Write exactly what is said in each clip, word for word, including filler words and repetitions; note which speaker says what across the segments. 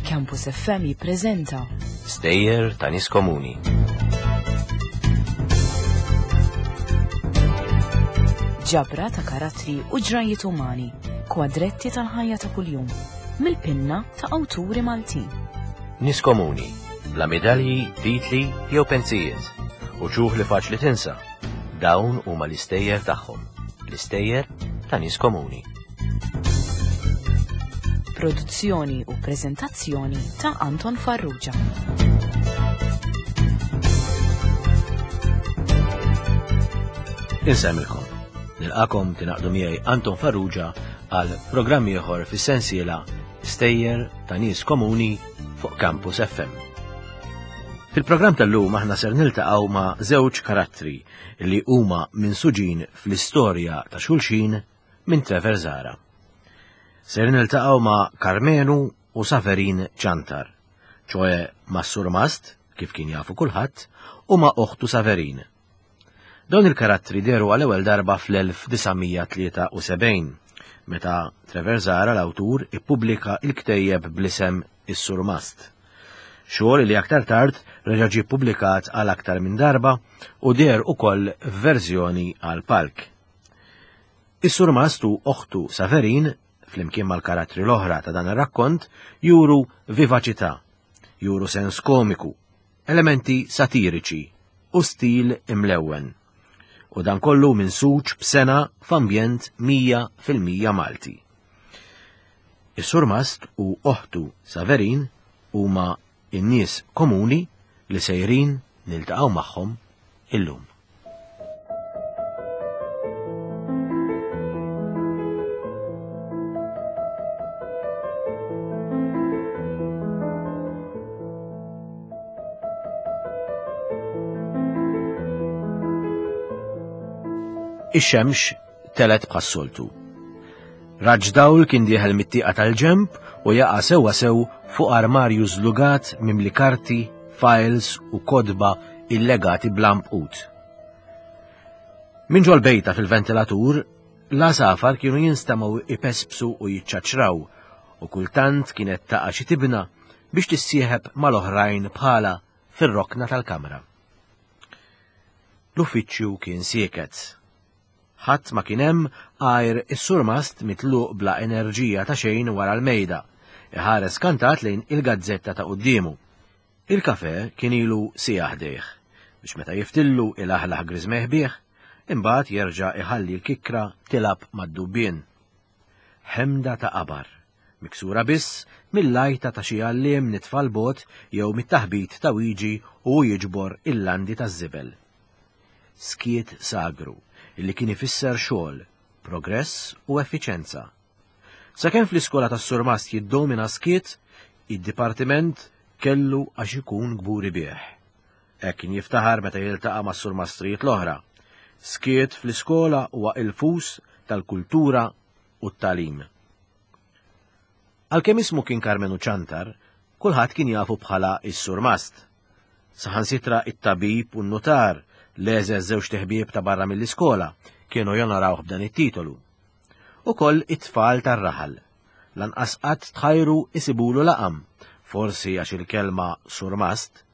Speaker 1: Campus F M jippreżenta
Speaker 2: Stejjer ta' Nies Komuni.
Speaker 1: Ġabra ta' karattri u ġrajiet umani, kwadretti tal-ħajja ta' kuljum, mill-pinna ta' awturi Maltin.
Speaker 2: Nies komuni, bla medalji, titli jew pensijiet, u ċuħ li faċli tinsa. Dawn huma l-istejjer tagħhom, l-istejjer ta' nies komuni.
Speaker 1: Produzzjoni u preżentazzjoni ta' Anton Farrugia.
Speaker 2: Insemmilkom. Nilqakom tingħaqdu miegħi Anton Farrugia għal programm ieħor fis-sensiela Stejjer ta' Nies Komuni fuq Campus F M. Fil-programm tal-lum aħna ser niltaqgħu ma' żewġ karattri li huma minsuġin fl-istorja ta' xulxin minn Trevor Zahra. Ser niltaqgħu ma' Karmenu u Saverin Ciantar, ċoe ma' Surmast, kif kien jafu kulħadd, u ma' oħtu Saverin. Dawn il-karattri dehru għal ewwel darba fl-elf disa' mija tlieta u sebgħin, meta Trevor Zahra l-awtur ippubblika il-ktejjeb bl-isem Is-Surmast. Xogħol li aktar tard reġa' ġie ppubblikat għal aktar minn darba u deher ukoll f'verżjoni għal palk. Is-Surmast u oħtu Saverin, flimkien mal-karattri l-oħra ta' dan ir-rakkont, juru vivaċità, juru sens komiku, elementi satiriċi u stil imlewwen. U dan kollu minn suċ b'sena f'ambjent mija fil-mija Malti. Is-Surmast u oħtu Saverin huma n-nies komuni li sejrin niltaqgħu magħhom illum. Ix-xemx telet bħas-soltu. Raġġ dawl kien dieħel mit-tieqa tal-ġemp u jaqa' sewwa sew fuq armarju żlugat mimli karti, files u kodba illegati bl-ampqut. Minn ġol-bejta fil-ventilatur, l-għasafar kienu jinstemgħu ipespsu u jiċċaċraw u kultant kienet taqa' xi tibna biex tissieħeb mal-oħrajn bħala fir-rokna tal-kamra. L-uffiċċju kien sieket. Ħadd ma kien hemm għajr is-surmast mitluq bla enerġija ta' xejn wara l-mejda, iħares kantat lejn il-gazzetta ta' quddiemu. Il-kafe kien ilu siegħa ħdejh, biex meta jiftillu il-aħlaħ griżmeh bih, imbagħad jerġa' iħalli l-kikra tilab mad-dubbien. Ħemda ta' qabar, miksura biss mill-lajta ta' xi għalliem nitfa' l-bot jew mit-taħbit ta' wiġi u jiġbor il-landi taż-żibel. Skiet sagru, illi kien ifisser xogħol, progress u effiċenza. Sakemm fl-iskola tas-Surmast jiddomina skiet, id-dipartiment kellu għax ikun kburi bih. Hekk kien jiftaħar meta jiltaqa' mas-surmastrijiet l-oħra. Skiet fl-iskola huwa il-fus tal-kultura u t-tagħlim. Għalkemm ismu kien Karmenu Ciantar, kulħadd kien jafu bħala is-Surmast. Saħansitra it-tabib u n-notar, l-eżeż żewġ teħbieb ta' barra mill-iskola, kienu jonorawh b'dan it-titolu. Ukoll it-tfal tar-raħal. Lanqas qatt tħajru isibulu laqam, forsi għax il-kelma surmast,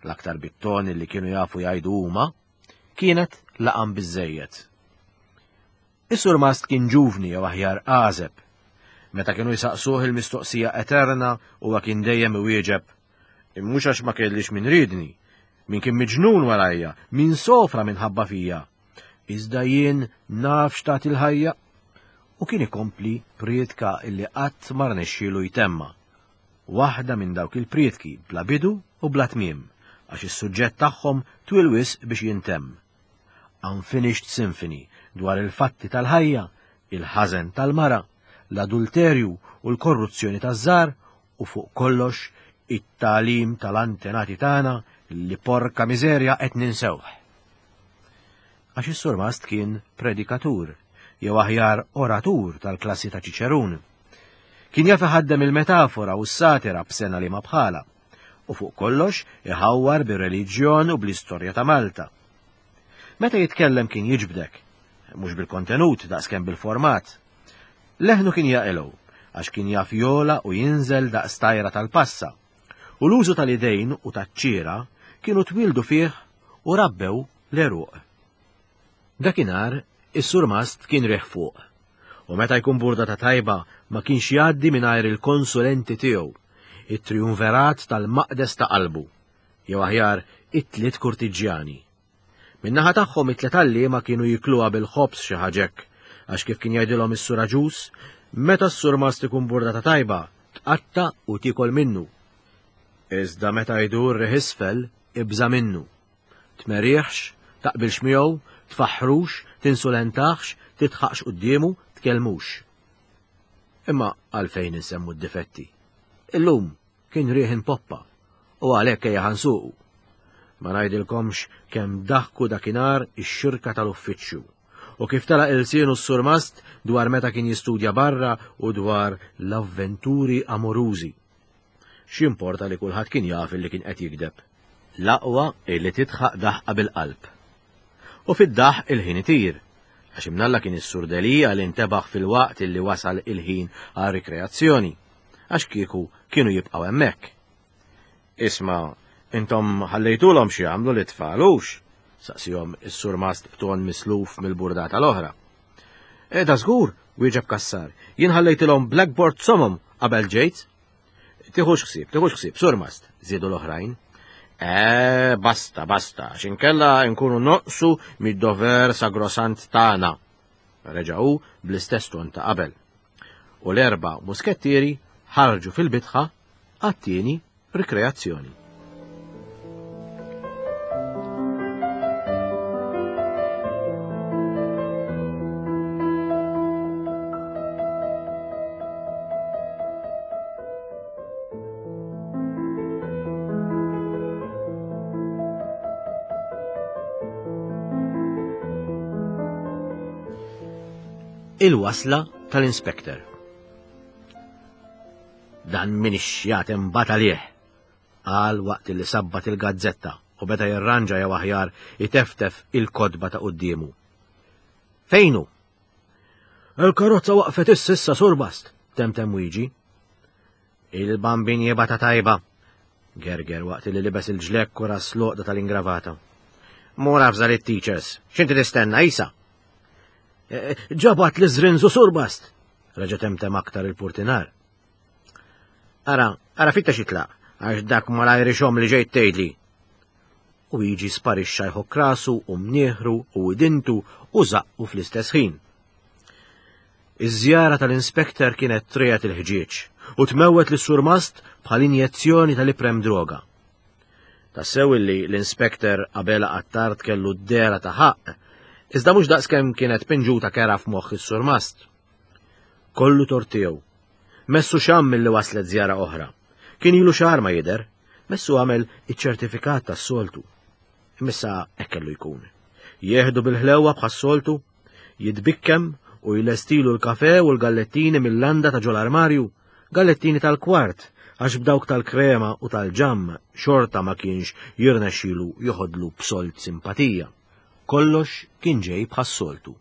Speaker 2: l-aktar bit-ton li kienu jafu jgħidu huma, kienet laqam biżżejjed. Is-surmast kien ġuvni jew aħjar għażeb. Meta kienu jsaqsuh il-mistoqsija eterna huwa kien dejjem iwieġeb, Mhux għax ma kellix min ridni, min kien miġnun warajja, min sofra minħabba fija. Iżda jien naf x'tagħti il-ħajja. U kien ikompli prietka illi qatt ma rnexxielu jtemma. Waħda minn dawk il-prietki bla bidu u bla tmiem, għax is-suġġett tagħhom twil wisq biex jintemm. Unfinished Symphony dwar il-fatti tal-ħajja, il-ħażen tal-mara, l-adulterju u l-korruzzjoni taż-żgħar u fuq kollox it-tagħlim tal-antenati tagħna li porka miżerja qed ninsewh. Għax is-surmast kien predikatur, jew aħjar oratur tal-klassi ta' Ċiċerun. Kien jaf iħaddem il-metafora u s-satira b'sena li ma bħala, u fuq kollox iħawwar bir-reliġjon u bl-istorja ta' Malta. Meta jitkellem kien jiġbdek, mhux bil-kontenut daqskemm bil-format. Leħnu kien jaqilgħu għax kien jaf jola u jinżel daqs tajra tal-passa, u l-użu tal-idejn u taċ-ċiera kienu twildu fih u rabbew l-għeruq. Dakinhar is-surmast kien riħ fuq, u meta jkun burdata tajba ma kienx jgħaddi mingħajr il-konsulenti tiegħu, it-triumverat tal-maqdes ta' qalbu, jew aħjar it-tliet kurtiġjani. Min-naħa tagħhom it-tliet għalliema kienu jikluha bil-ħobż xi ħaġa hekk, għax kif kien jgħidilhom is-Sur Aġus, meta s-surmast ikun burdata tajba, tqatta' u tiekol minnu. Iżda meta jdur riħ isfel, ibża' minnu. Tmerihx, taqbilx miegħu, tfaħħrux, tinsulentahx, tidħaqx quddiemu, tkellmux. Imma għalfejn insemmu d-difetti? Illum kien riħ poppa u għalhekk ejja ħansuqu. Ma ngħidilkomx kemm daħku dakinhar ix-xirka tal-uffiċċju u kif telaq ilsienu s-surmast dwar meta kien jistudja barra u dwar l-avventuri amorużi. X'importa li kulħadd kien jaf li kien qed jigdeb. L-aqwa illi tidħaq daħqa bil-qalb. U fid-daħq il-ħin itir, għax imnalla kien is-Sur Delia li ntebaħ fil-waqt illi wasal il-ħin għal rikreazzjoni, għax kieku kienu jibqgħu hemmhekk. Isma', intom ħallejtulhom xi jagħmlu lit-tfal hux? Saqsihom is-surmast b'ton misluf mill-burdata l-oħra. E da żgur, wieġeb Cassar, jien ħallejtilhom blackboard somom qabel ġejt. Tiħux ħsieb, tiħux ħsieb, surmast, żiedu l-oħrajn. E, basta, basta, x'inkella nkunu noqsu mid-dover sagrosant tagħna. Reġa' hu bl-istess ton ta' qabel. U l-erba' muskettieri ħarġu fil-bitħa għat-tieni rikreazzjoni. Il-wasla tal-inspektor. Dan min ix-xjat imbagħad għalih, qal waqt li sabbat il-gazzetta u beda jirranġa jew aħjar iteftef il-kotba ta' quddiemu. Fejnu? Il-karozza waqfet ississa surmast, temtem Wiġi. Il-bambin jibata tajba, gerger waqt li libes il-ġlekk u ras l-għoqda tal-ingravata. Mur avża lit-teachers, x'inti tistenna isa? Ġabat li żrinżu surmast, reġa' temtem aktar il-purtinar. Ara, ara fitta xitlaq, għax dak malajr ixomm li ġejt tgħidli. U jiġi sparixxa jħokk rasu u mnieħru u idintu u zaqqu fl-istess ħin. Iż-żjara tal-inspektor kienet trijet il-ħġieġ u tmewwet lis-surmast bħal injezzjoni tal-iprem droga. Tassew illi l-inspektor Abela Attard kellu d-dehra ta' ħaqq, iżda mhux daqskemm kienet pinġuta kera f'moħħ is-surmast. Kollu tort tiegħu. Messu xamm milli waslet żjara oħra. Kien ilu xahar ma jidher, messu għamel iċ-ċertifikat tas-soltu. Imissa hekk kellu jkun. Jieħdu bil-ħlewwa bħas-soltu, jitbikkem u jlestilu l-kafe u l-gallettini mill-landa ta' ġol-armarju, gallettini tal-kwart, għax b'dawk tal-krema u tal-ġamm xorta ma kienx jirnexxilu joħodlu b'solt simpatija. Kollox kien ġej bħas-soltu.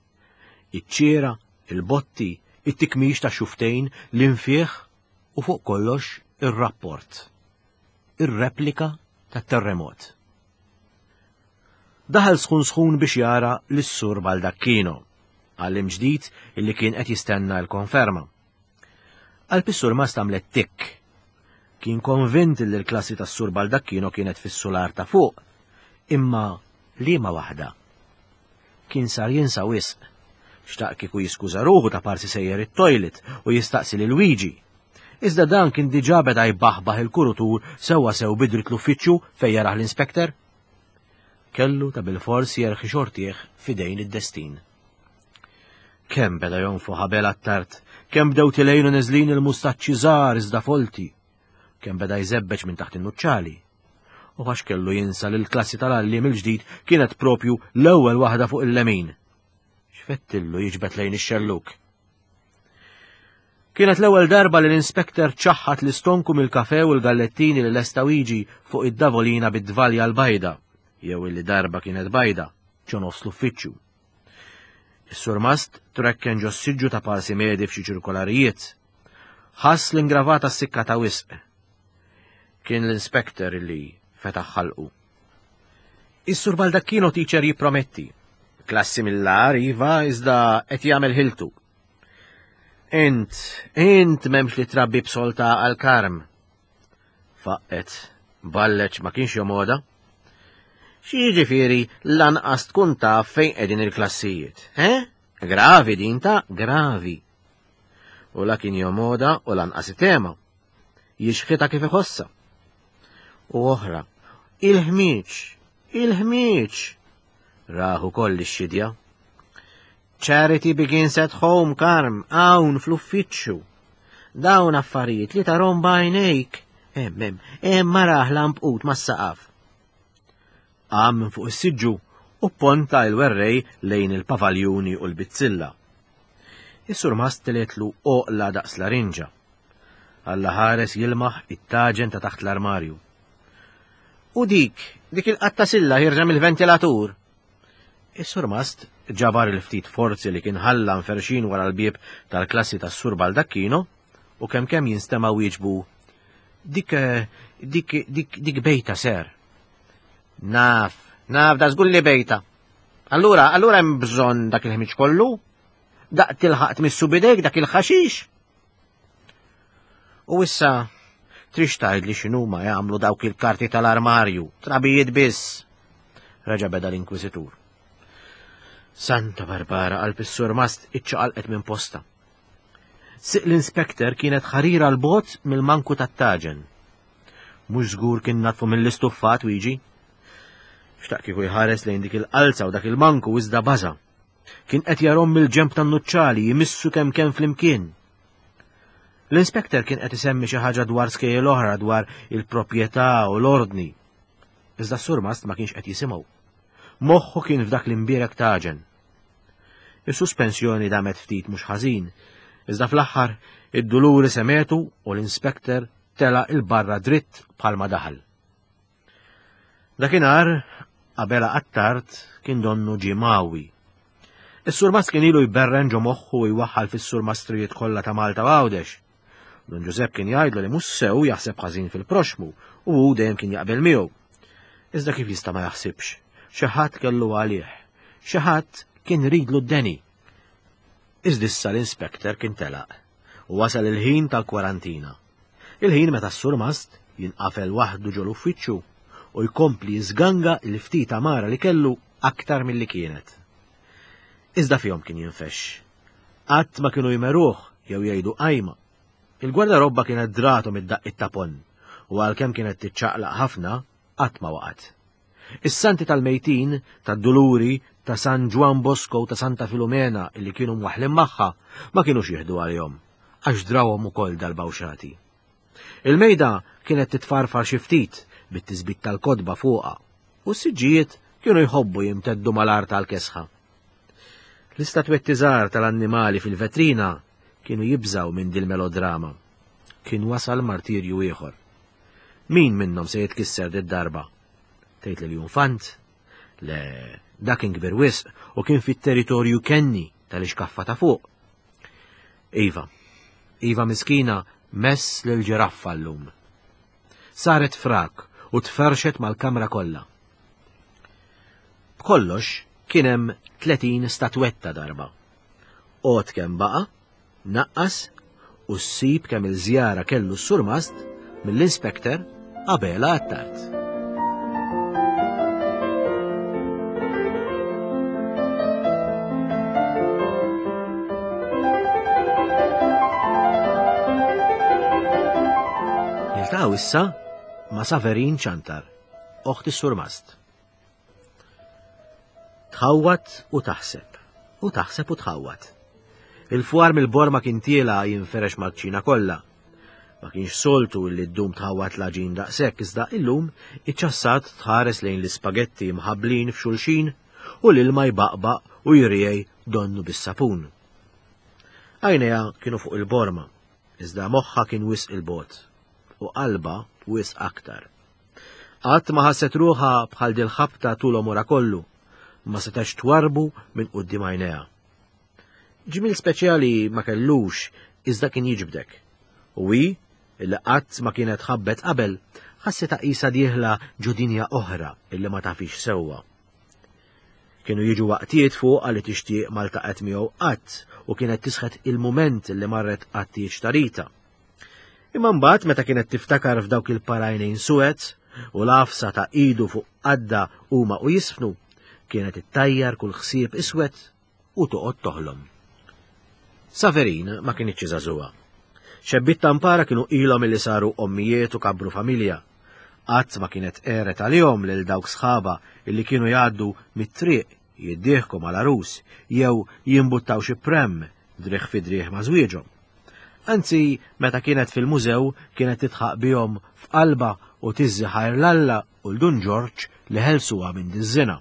Speaker 2: Iċ-ċiera, il-botti, it-tikmix ta' xuftejn, l-infieħ u fuq kollox ir-rapport. Ir-replika tat-terremot. Daħal sħun sħun biex jara lis-Sur Baldacchino, għallim ġdid illi kien qed jistenna l-konferma. Qalb is-Sur Mast għamlet tikk. Kien konvint li l-klassi tas-Sur Baldacchino kienet fis-sular ta' fuq, imma liema waħda. Kien sar jinsa wisq. Xtaq kieku jiskuża ruħu ta' parsi sejjer it-toilet u jistaqsi lil Luigi. Iżda dan kien diġà beda jbaħbaħ il-kurutur sewwa sew bidrit l-uffiċċju fejn jarah l-inspektor. Kellu ta' bilfors jerħi xortih f'idejn id-destin. Kemm beda jonfoħ Abela Attard, kemm bdew tilejnu neżlin il-mustaċċi żgħar iżda folti, kemm beda jżebbeġ minn taħt in-nuċċali. U għax kellu jinsa li l-klassi tal-għalliem il-ġdid kienet propju l-ewwel waħda fuq il-lemin. X'fettillu jiġbed lejn ix-xelluk. Kienet l-ewwel darba li l-inspektor ċaħħat l-istonku mill-kafe u l-gallettini li lesta jiġi fuq id-davolina bid-dvalja l-bajda, jew illi darba kienet bajda, ġo nofs l-uffiċċju. Is-surmast trekken ġo siġġu ta' parsi medi f'xi ċirkolarijiet. Ħass l-ingravata s-sikka ta' wisq. Kien l-inspektor li fetaħ ħalqu. Is-sur Baldacchino teacher jipprometti. Klassi mill-ar iva iżda qed jagħmel ħiltu. Int, int m'hemmx li trabbi b'solta għal karm. Faqqet, balleċ ma kienx jomoda. Xi jiġifieri lanqas tkun taf fejn qegħdin il-klassijiet, he? Gravi din ta' gravi. U la kien jomoda u lanqas tema. Jixħita kif iħossa. U oħra, il-ħmieġ, il-ħmieġ. Raħu koll ix-xidja. Charity begins at home, Karm, hawn fl-uffiċċju. Dawn affarijiet li tarom b'għajnejk. Hemm, hemm, hemm maraħ lampqut mas-saqaf. Qam minn fuq is-siġġu u ponta il-werrej lejn il-pavaljuni u l-bizzilla. Is-surmast teletlu oqla daqs larinġa. Alla ħares jilmaħ it-taġen ta' taħt l-armarju. U dik, dik il-qatta silla ħirġa mill-ventilatur. Is-surmast ġabar il-ftit forzi li kien ħalla nferxin wara l-bieb tal-klassi tas-sur Baldacchino u kemm kemm jinstema' wieġbu dik, dik, dik, dik bejta ser. Naf, naf, da żgur li bejta. Allura, allura hemm bżonn dak il-ħmiġ kollu? Daq tilħaq tmissu bidejk dak il-ħaxix? U issa trix tgħidli x'inhuma jagħmlu dawk il-karti tal-armarju, trabijiet biss. Reġa' beda l-inkwiżitur. Santa Barbara qalb is-surmast iċċaqalqet minn posta. Siq l-inspektor kienet ħarira l-bot mill-manku tat-taġen. Mhux żgur kien natfu mill-istuffat wieġi. Xtaq kieku jħares lejn dik il-qalza u dak il-manku iżda baża. Kien qed jarhom mill-ġenb tan-nuċċali jimissu kemm kemm flimkien. L-inspektor kien qed isemmi xi ħaġa dwar skejjel oħra dwar il-proprjetà u l-ordni. Iżda s-surmast ma kienx qed jisimgħu. Moħħu kien f'dak l-imbierek taġen. Is-suspensjoni damet ftit mhux ħażin, iżda fl-aħħar id-duluri semetu u l-inspektor tela il-barra dritt bħalma daħal. Dakinhar Abela Attard kien donnu ġie mawi. Is-surmast kien ilu jberren ġo moħħu u jwaħħal fis-surmastrijiet kollha ta' Malta u Għawdex. Don Giuseppe kien jgħidlu li mhux sew jaħseb ħażin fil-proxmu u hu dejjem kien jaqbel miegħu. Iżda kif jista' ma jaħsibx? Xi ħadd kellu għalih. Xi ħadd kien ridlu d-deni. Iżda issa l-inspektor kien telaq u wasal il-ħin tal-kwarantina. Il-ħin meta s-surmast jinqafel waħdu ġol uffiċċju u jkompli jiżganga l-ftit amara li kellu aktar milli kienet. Iżda fihom kien jinfex. Qatt ma kienu jmeruh jew jgħidu qajma. Il-gwardarobba kienet dratom id-daqqiet ta' pon u għalkemm kienet tiċċaqlaq ħafna qatt ma waqgħet. Is-santi tal-mejtin, tad-Duluri, ta' San Ġwann Bosco u ta' Santa Filomena illi kienu mwaħħlin magħha ma kinux jieħdu għalihom, għax drawhom ukoll dal-bawxati. Il-mejda kienet titfarfar xi ftit bit-tisbit tal-kotba fuqha u s-siġġijiet kienu jħobbu jimteddu mal-art tal-kesħa. L-istatwetti żgħar tal-annimali fil-vetrina kienu jibżaw minn dil-melodrama. Kien wasal martirju ieħor. Min minnhom se jitkisser did-darba? Tgħid li l-Junfant? Le, dak kien kbir wisq u kien fit-territorju kenni tal-ixkaffa ta' fuq. Iva, Iva miskina mess lil ġiraffa llum. Saret frak u tferxet mal-kamra kollha. B'kollox kien hemm tletin statwetta darba. Għod kemm baqa', naqqas u ssib kemm il-żjara kellu s-surmast mill-inspektor Abela Attard. Niltaqgħu issa ma' Saverin Ċantar, oħt is-surmast. Tħawwat u taħseb, u taħseb u tħawwat. Il-fwar mill-borma kien tiela jinferex mal-kċina kollha. Ma kienx soltu li ddum tħawwat l-għaġin daqshekk, iżda illum iċċassat tħares lejn l-ispagetti mħabblin f'xulxin u l-ilma jbaqbaq u jriej donnu bis-sapun. Għajnejha kienu fuq il-borma, iżda moħħha kien wisq il-bogħod u qalbha wisq aktar. Qatt ma ħasset ruħha bħal dil-ħabta tul għomorha kollu, ma setax twarbu minn quddiem għajnejha. Ġmiel speċjali ma kellux iżda kien jiġbdek. U hi, illi qatt ma kienet ħabbet qabel, ħassitha qisha dieħla ġo dinja oħra illi ma tafix sewwa. Kienu jiġu waqtiet fuqha li tixtieq ma ltaqgħet miegħu qatt u kienet tisħet il-mument li marret għat-tieġ ta' Rita. Imma mbagħad meta kienet tiftakar f'dawk il-parajnejn suwed u l-għafsa ta' idu fuq qadda huma u jisfnu, kienet ittajjar kull ħsieb iswed u toqgħod toħlom. Saverin ma kinitx żagħżugħa. Xebbiet tampara kienu ilhom illi saru ommijiet u kabru familja. Qatt ma kienet għeret għalihom lil dawk sħaba illi kienu jgħaddu mit-triq jiddieħku mal-għarus jew jimbuttaw xi prem driegħ fi driegħ ma' żwieġhom. Anzi, meta kienet fil-mużew kienet titħaq bihom f'qalba u tiżżi ħajr l-Alla u l-Dun Ġorġ li ħelsuha minn diż-żina.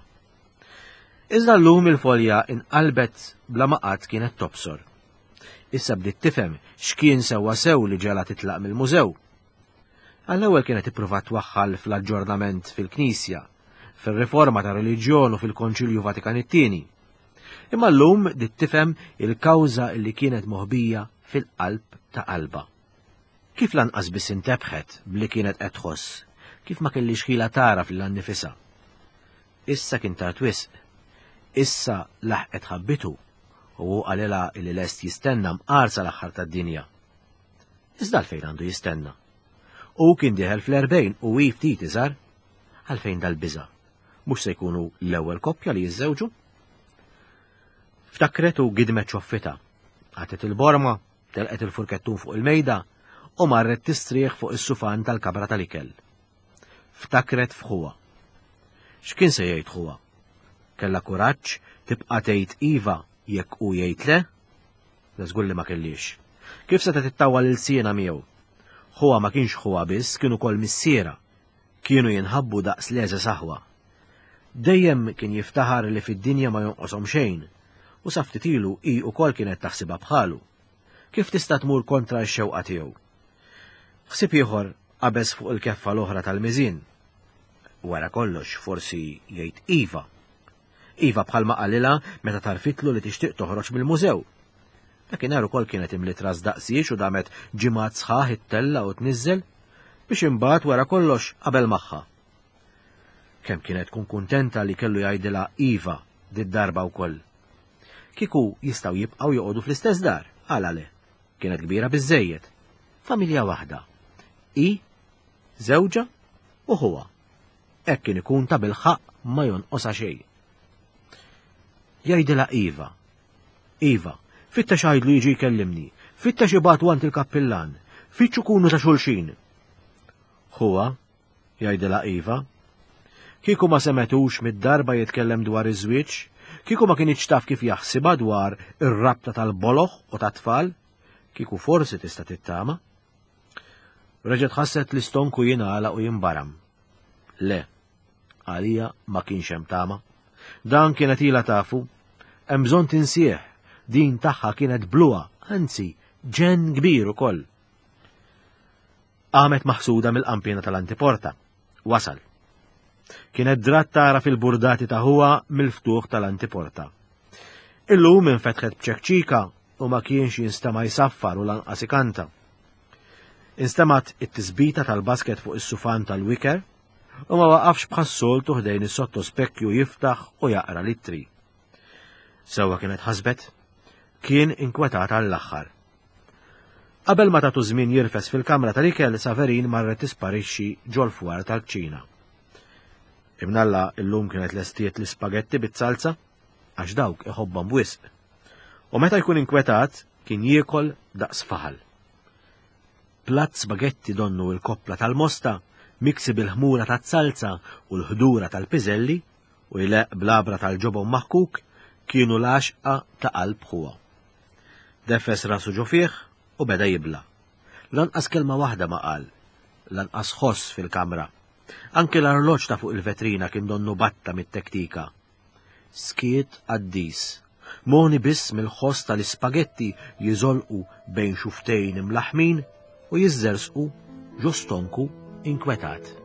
Speaker 2: Iżda llum il-folja inqalbet bla ma qatt kienet tobsor. Issa bdiet tifhem x'kien sewwa sew li ġela titlaq mill-mużew. Għall-ewwel kienet ippruvat twaħħal fl-aġġornament fil-Knisja, fir-riforma ta' reliġjon u fil-Konċilju Vatikan it-tieni. Imma llum bdiet tifhem il-kawża li kienet moħbija fil-qalb ta' qalba. Kif lanqas biss intebħet bli kienet qed tħoss, kif ma kellix ħila tara fil-annifisha. Issa kien tard wisq. Issa laħqet ħabbitu u hu qalilha li lest jistenna mqar sal-aħħar tad-dinja. Iżda għalfejn għandu jistenna? Hu kien dieħel fl-erbgħin u hi ftit iżgħar. Għalfejn dal-biża'? Mhux se jkunu l-ewwel koppja li jiżżewġu? Ftakret u gidmet ċoffitha. Għatet il-borma, telqet il-furkettun fuq il-mejda u marret tistrieħ fuq is-sufan tal-kamra tal-ikel. Ftakret f'ħuha. X'kien se jgħid ħuha? Kellha kuraġġ tibqa' tgħid iva jekk hu jgħid le? Le żgur li ma kellix. Kif setgħet tittawwal ilsienha miegħu? Ħuha ma kienx ħuha biss, kien ukoll missiera. Kienu jinħabbu daqs l-għeżeż aħwa. Dejjem kien jiftaħar li fid-dinja ma jonqoshom xejn, u sa ftit ilu hi wkoll kienet taħsibha bħalu. Kif tista' tmur kontra x-xewqa tiegħu? Ħsieb ieħor qabeż fuq il-keffa l-oħra tal-miżien. Wara kollox forsi jgħid iva. Iva bħalma qalilha meta tarfitlu li tixtieq toħroġ mill-mużew. Dakinhar ukoll kienet imliet ras daqsiex u damet ġimgħat sħaħ ittella' u tniżżel biex imbagħad wara kollox qabel magħha. Kemm kienet tkun kuntenta li kellu jgħidilha iva did-darba wkoll. Kieku jistgħu jibqgħu joqogħdu fl-istess dar, għala le. Kienet kbira biżżejjed. Familja waħda. Hi, żewġha u ħuha. Hekk kien ikun ta' bilħaqq ma jonqosha xejn. Jgħidilha iva. Iva, fittex għidlu jiġi jkellimni, fittex ibagħtu għand il-kappillan, fittxu kunu ta' xulxin. Ħuha, jgħidilha iva. Kieku ma semetux mid-darba jitkellem dwar iż-żwieġ, kieku ma kinitx taf kif jaħsibha dwar ir-rabta tal-boloh u tat-tfal, kieku forsi tista' tittama. Reġgħet ħasset l-istonku jingħalaq u jinbaram. Le, għalija ma kienx hemm tama. Dan kienet ilha tafu, hemm bżonn tinsieh, din tagħha kienet bluha, anzi, ġenn kbir ukoll. Qamet maħsuda mill-qampina tal-antiporta. Wasal. Kienet drat tara fil-burdati ta' ħuha mill-ftuħ tal-antiporta. Illum infetħet b'ċekċika u ma kienx jinstema' jsaffar u lanqas ikanta. Instemat it-tisbita tal-basket fuq is-sufan tal-wiker u ma waqafx bħas-soltu ħdejn is-sottospekkju jiftaħ u jaqra l-ittri. Sewwa kienet ħasbet, kien inkwetat għall-aħħar. Qabel ma tatu żmien jirfes fil-kamra tal-ikel, Saverin marret tisparixxi ġol-fwar tal-kċina. Imnalla illum kienet lestiet l-ispagetti bit-salza għax dawk iħobbhom wisq. U meta jkun inkwetat kien jiekol daqs faħal. Platt spagetti donnu l-koppla tal-mosta miksi bil-ħmura tat-salza u l-ħdura tal-piżelli u jleq blabra tal-ġobon maħkuk kienu l-għaxqa ta' qalb ħuha. Defes rasu ġo fih u beda jibla. Lanqas kelma waħda ma qal, lanqas ħoss fil-kamra. Anke l-arloġġ ta' fuq il-vetrina kien donnu batta mit-tektika. Skiet qaddis, moni biss mill-ħoss tal-ispagetti jiżolqu bejn xuftejn imlaħmin u jiżżersqu ġo stonku inkwetat.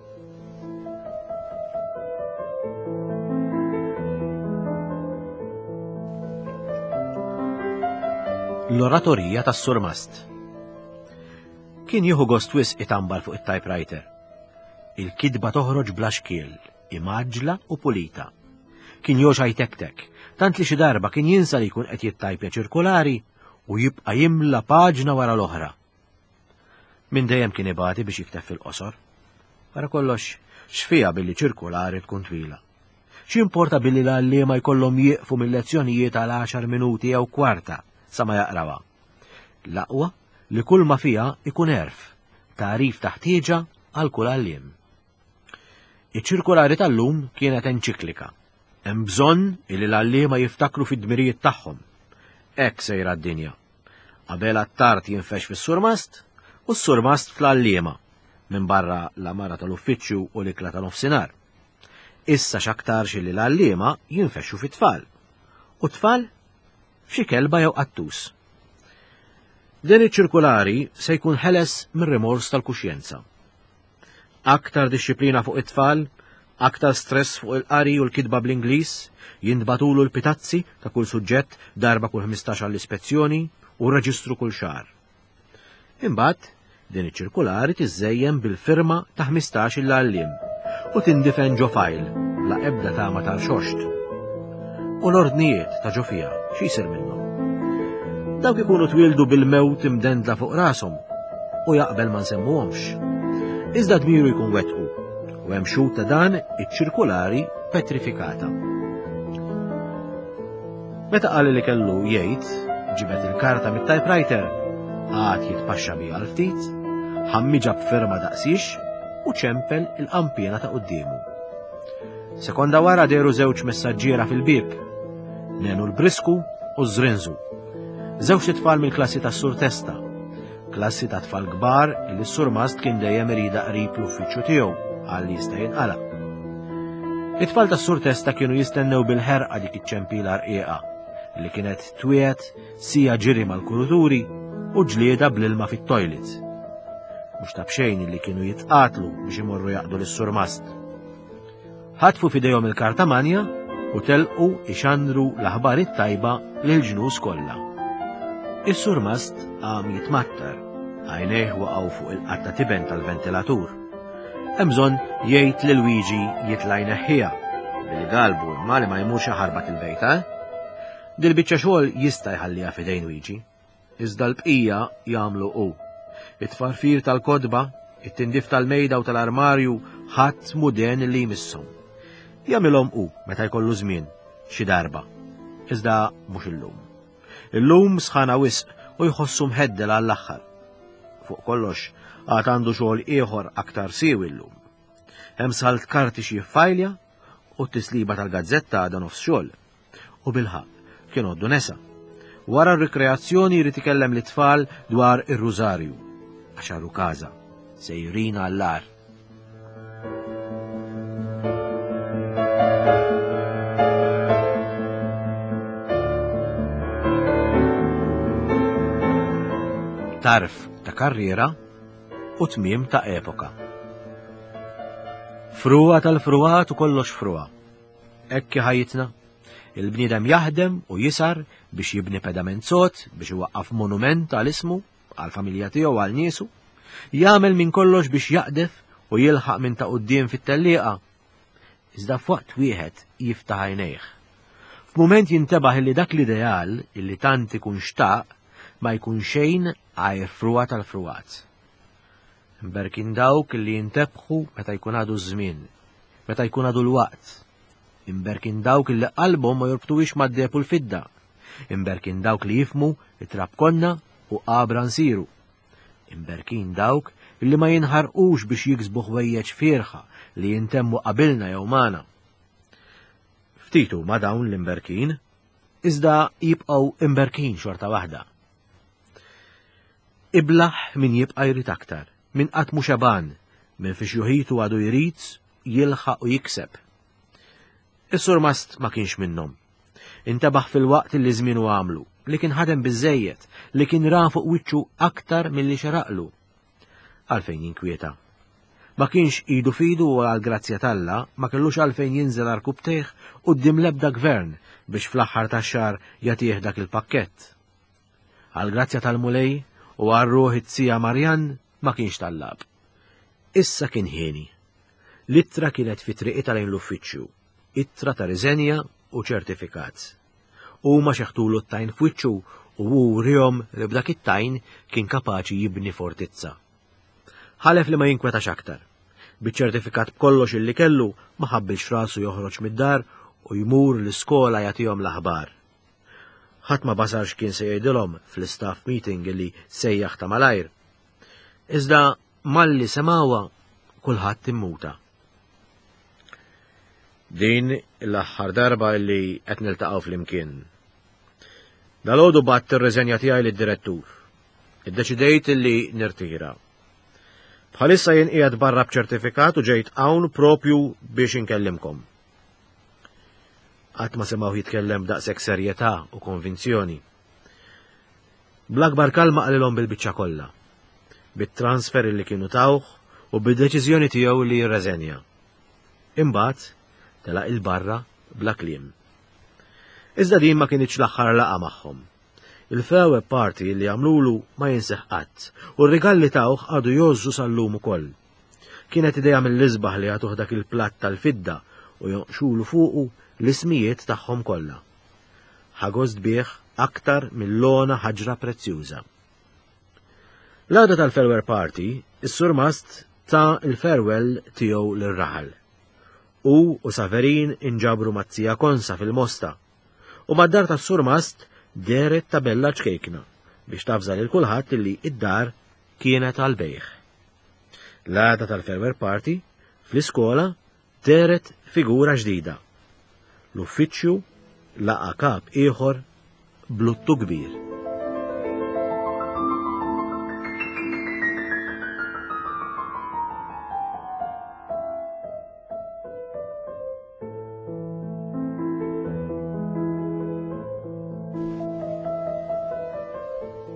Speaker 2: l-oratorija tas-surmast. Kien jieħu gost wisq itambar fuq it-typewriter. Il-kitba toħroġ bla xkiel, imgħaġġla u pulita. Kien joxa jtektek, tant li xi darba kien jinsa li jkun qed jittajpja ċirkulari u jibqa' jimla paġna wara l-oħra. Minn dejjem kien ibati biex jikteb fil-qosor. Wara kollox, x'fiha billi ċirkulari tkun twila. X'importa billi l-għalliema jkollhom jieqfu mill-lezzjonijiet għal għaxar minuti jew kwarta sa ma jaqrawha. L-aqwa li kull ma fiha ikun għerf, tagħrif ta' ħtieġa għal kull għalliem. Iċ-ċirkulari tal-lum kienet enċiklika. Hemm bżonn illi l-għalliema jiftakru fid-dmirijiet tagħhom. Hekk sejra d-dinja. Qabel Attard jinfex fis-surmast u s-surmast fl-għalliema, minn barra l-amara tal-uffiċċju u l-ikla ta' nofsinhar. Issa x'aktarx li l-għalliema jinfexxu fit-tfal. U t-tfal f'xi kelba jew qattus. Din iċ-ċirkulari se jkun ħeles mir-rimors tal-kuxjenza. Aktar dixxiplina fuq it-tfal, aktar stress fuq il-qari u l-kitba bl-Ingliż, jintbatulu l-pitazzi ta' kull suġġett darba kull ħmistax għall-ispezzjoni u reġistru kull xahar. Imbagħad din iċ-ċirkulari tiżżejjen bil-firma ta' ħmistax il-għalliem u tindifen ġo fajl la ebda tama tal-xoxt. U l-ordnijiet ta' ġo fiha xi jsir minnhom? Dawk ikunu twildu bil-mewt imdendla fuq rashom u jaqbel ma nsemmuhomx. Iżda dmiru jkun wettqu u hemm xhud ta' dan iċ-ċirkulari petrifikata. Meta qal li kellu jgħid, ġibet il-karta mit-typewriter, għad jitpaxxa biha għal ftit, ħammiġa b'firma daqsix u ċempel il-qampiena ta' quddiemu. Sekonda wara deru żewġ messaġġiera fil-bieb, Nenu l-Brisku u Zrinzu. Żewġ tfal mill-klassi tas-Sur Testa, klassi ta' tfal kbar li s-surmast kien dejjem irida qrib l-uffiċċju tiegħu għal li jista' jinqala. It-tfal tas-Sur Testa kienu jistennew bil-ħerqa dik iċ-ċempila rqiqa li kienet twiet sija ġiri mal-kuruturi u ġlieda bl-ilma fit-toilet. Mhux ta' b'xejn li kienu jitqatlu biex imorru jaqdu lis-surmast. Ħatfu f'idejhom il-karta manja u telqu ixandru l-aħbar it-tajba lil ġnus kollha. Is-surmast qam jitmattar, għajnejh waqgħu fuq il-qatta tiben tal-ventilatur. Hemm bżonn jgħid lil Luigi jitla' jneħħiha, billi galbu imma li ma jmurx jaħarbat il-bejta. Dil-biċċa xogħol jista' jħalliha f'idejn Luigi, iżda l-bqija jagħmlu hu. It-tfarfir tal-kodba, it-tindif tal-mejda u tal-armarju ħadd muden li jmisshom. Jagħmilhom hu meta jkollu żmien xi darba, iżda mhux illum. Illum sħana wisq u jħossu mħeddel għall-aħħar. Fuq kollox għad għandu xogħol ieħor aktar siewi llum. Hemm salt karti xi jiffajlja u t-tisliba tal-gazzetta għadha nofs xogħol. U bilħaqq kien għoddu nesa. Wara r-rikreazzjoni jrid ikellem lit-tfal dwar ir-rużarju, għax għarru każa, sejrin għall-agħar. Tarf ta' karriera u tmiem ta' epoka. Frugħa tal-frugħat u kollox frugħa. Hekk ħajjitna. Il-bniedem jaħdem u jisar biex jibni pedament sod, biex iwaqqaf monument għal ismu, għal familja tiegħu għal niesu, jagħmel minn kollox biex jaqdef u jilħaq minn ta' quddiem fit-tellieqa. Iżda f'waqt wieħed jiftaħ għajnejh. F'mument jintebaħ illi dak l-ideal illi tant ikun xtaq ma jkun xejn għajr frugħa tal-frugħat. Imberkin dawk li jintebħu meta jkun għadu ż-żmien, meta jkun għadu l-waqt. Imberkin dawk li qalbhom ma jorbtuhiex mad-deheb u l-fidda. Imberkin dawk li jifmu it-trab konna u qabra nsiru. Imberkin dawk li ma jinħarqux biex jiksbu ħwejjeġ fierħa li jintemmu qabilna jew magħna. Ftit huma dawn l-imberkin, iżda jibqgħu imberkin xorta waħda. Iblaħ min jibqa' jrid aktar, min qatt mhu xeban, min fi xjuħitu għadu jrid jilħaq u jikseb. Is-surmast ma kienx minnhom. Intebaħ fil-waqt li żmienu għamlu, li kien ħadem biżejjed, li kien ra fuq wiċċu aktar milli xeraqlu. Għalfejn jinkwieta. Ma kienx idu fidu u għal-grazzja t'Alla ma kellux għalfejn jinżel arkubtejh quddiem l-ebda gvern biex fl-aħħar tax-xahar jagħtih dak il-pakkett. Għall-grazzja tal-Mulej u għal ruħ it-tija Marjan ma kienx tallab. Issa kien ħieni. L-ittra kienet fi triqitha lejn l-uffiċċju, ittra ta' riżenja u ċertifikat. Huma xeħtulu t-tajn f'wiċċu u hu wriehom li b'dak it-tajn kien kapaċi jibni fortizza. Ħalef li ma jinkwetax aktar. Biċ-ċertifikat b'kollox illi kellu ma ħabbilx rasu joħroġ mid-dar u jmur l-iskola jagħtihom l-aħbar. Ħadd ma basar x'kien se jgħidilhom fl-istaff meeting li sejjaħ ta' malajr. Iżda malli semgħuha kulħadd immuta. Din l-aħħar darba li qed niltaqgħu flimkien. Dalgħodu bgħatt ir-riżenja tiegħi lid-direttur. Iddeċidejt li nirtira. Bħalissa jien qiegħed barra b'ċertifikat u ġejt hawn propju biex inkellimkom. Qatt ma semgħu jitkellem b'daqshekk serjetà u konvinzjoni. Bl-akbar kalma qalilhom bil-biċċa kollha, bit-transfer li kienu tawh u bid-deċiżjoni tiegħu li jirreżenja. Imbagħad telaq 'il barra bla kliem. Iżda din ma kinitx l-aħħar laqgħa magħhom. Il-farewell party li għamlulu ma jinsieh qatt u r-rigal li tawh għadu jgħożżu sal-lum ukoll. Kienet idea mill-isbaħ li jagħtuh dak il-platt tal-fidda u jonqxulu fuqu l-ismijiet tagħhom kollha. Ħa gost bih aktar mill-ogħla ħaġra prezzjuża. L-għada tal-farewell party, is-surmast ta l-farewell tiegħu lir-raħal. Hu u Saverin inġabru mat-tija Konsa fil-Mosta u mad-dar tas-surmast dehret tabella ċkejkna biex tavża lil kulħadd li id-dar kienet għal-bejgħ. L-għada tal-farewell party, fl-iskola dehret figura ġdida. L-uffiċċju laqa' kap ieħor b'luttu kbir.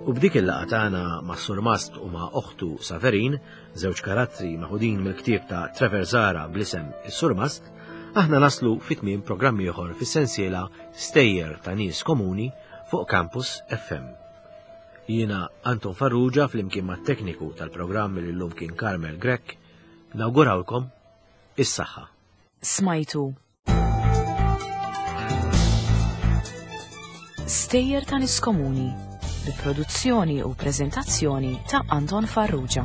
Speaker 2: U b'dik il-laqgħa tagħna ma' Surmast u ma' oħtu Saverin, żewġ karattri meħudin mill-ktieb ta' Trevor Zahra bl-isem Is-Surmast, aħna naslu fi tmiem programm ieħor fis-sensiela Stejjer ta' Nies Komuni fuq Campus F M. Jiena Anton Farrugia flimkien mat-tekniku tal-programm li llum kien Carmel Grech, nawgurawlkom is-saħħa.
Speaker 1: Smajtu Stejjer ta' Nies Komuni bi produzzjoni u preżentazzjoni ta' Anton Farrugia.